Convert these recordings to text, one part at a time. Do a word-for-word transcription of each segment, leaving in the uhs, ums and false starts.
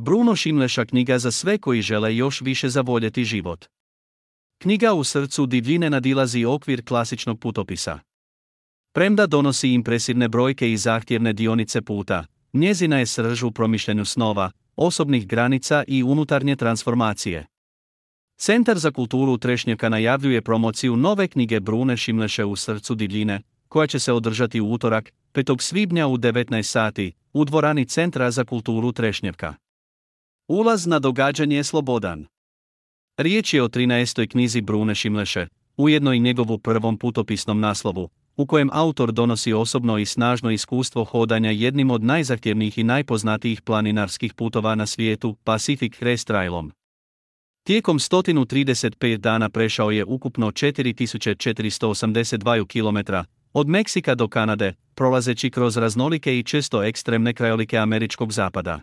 Bruno Šimleša knjiga za sve koji žele još više zavoljeti život. Knjiga u srcu divljine nadilazi okvir klasičnog putopisa. Premda donosi impresivne brojke i zahtjevne dionice puta, njezina je srž u promišljanju snova, osobnih granica i unutarnje transformacije. Centar za kulturu Trešnjevka najavljuje promociju nove knjige Brune Šimleše U srcu divljine, koja će se održati u utorak, petog svibnja u devetnaest sati, u dvorani Centra za kulturu Trešnjevka. Ulaz na događanje je slobodan. Riječ je o trinaestoj knjizi Brune Šimleše, ujedno i njegovu prvom putopisnom naslovu, u kojem autor donosi osobno i snažno iskustvo hodanja jednim od najzahtjevnijih i najpoznatijih planinarskih putova na svijetu, Pacific Crest Trailom. Tijekom sto trideset pet dana prešao je ukupno četiri tisuće četiristo osamdeset dva kilometra, od Meksika do Kanade, prolazeći kroz raznolike i često ekstremne krajolike američkog zapada.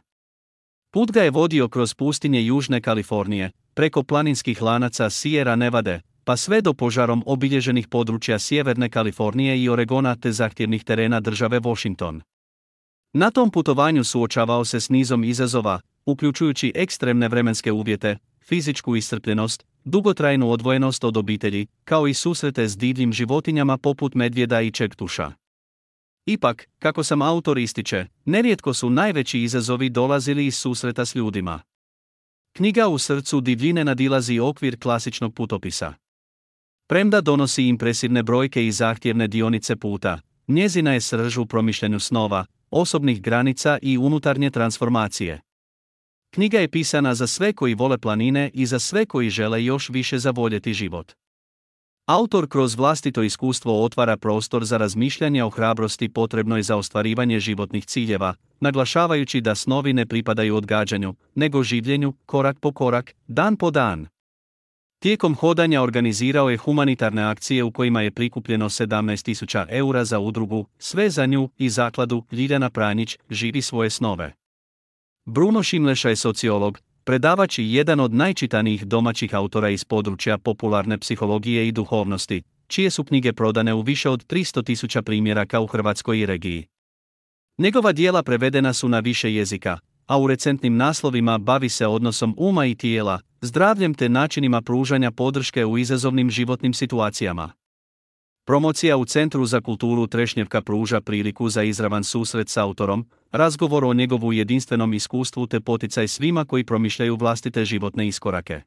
Put ga je vodio kroz pustinje Južne Kalifornije, preko planinskih lanaca Sierra Nevade, pa sve do požarom obilježenih područja Sjeverne Kalifornije i Oregona te zahtjevnih terena države Washington. Na tom putovanju suočavao se s nizom izazova, uključujući ekstremne vremenske uvjete, fizičku iscrpljenost, dugotrajnu odvojenost od obitelji, kao i susrete s divljim životinjama poput medvjeda i čektuša. Ipak, kako sam autor ističe, nerijetko su najveći izazovi dolazili iz susreta s ljudima. Knjiga U srcu divljine nadilazi okvir klasičnog putopisa. Premda donosi impresivne brojke i zahtjevne dionice puta, njezina je srž u promišljanju snova, osobnih granica i unutarnje transformacije. Knjiga je pisana za sve koji vole planine i za sve koji žele još više zavoljeti život. Autor kroz vlastito iskustvo otvara prostor za razmišljanje o hrabrosti potrebnoj za ostvarivanje životnih ciljeva, naglašavajući da snovi ne pripadaju odgađanju, nego življenju, korak po korak, dan po dan. Tijekom hodanja organizirao je humanitarne akcije u kojima je prikupljeno sedamnaest tisuća eura za udrugu Sve za nju i zakladu Ljiljana Pranjić Živi svoje snove. Bruno Šimleša je sociolog, predavač i jedan od najčitanijih domaćih autora iz područja popularne psihologije i duhovnosti, čije su knjige prodane u više od tristo tisuća primjeraka u Hrvatskoj i regiji. Njegova djela prevedena su na više jezika, a u recentnim naslovima bavi se odnosom uma i tijela, zdravljem te načinima pružanja podrške u izazovnim životnim situacijama. Promocija u Centru za kulturu Trešnjevka pruža priliku za izravan susret s autorom, razgovor o njegovu jedinstvenom iskustvu te poticaj svima koji promišljaju vlastite životne iskorake.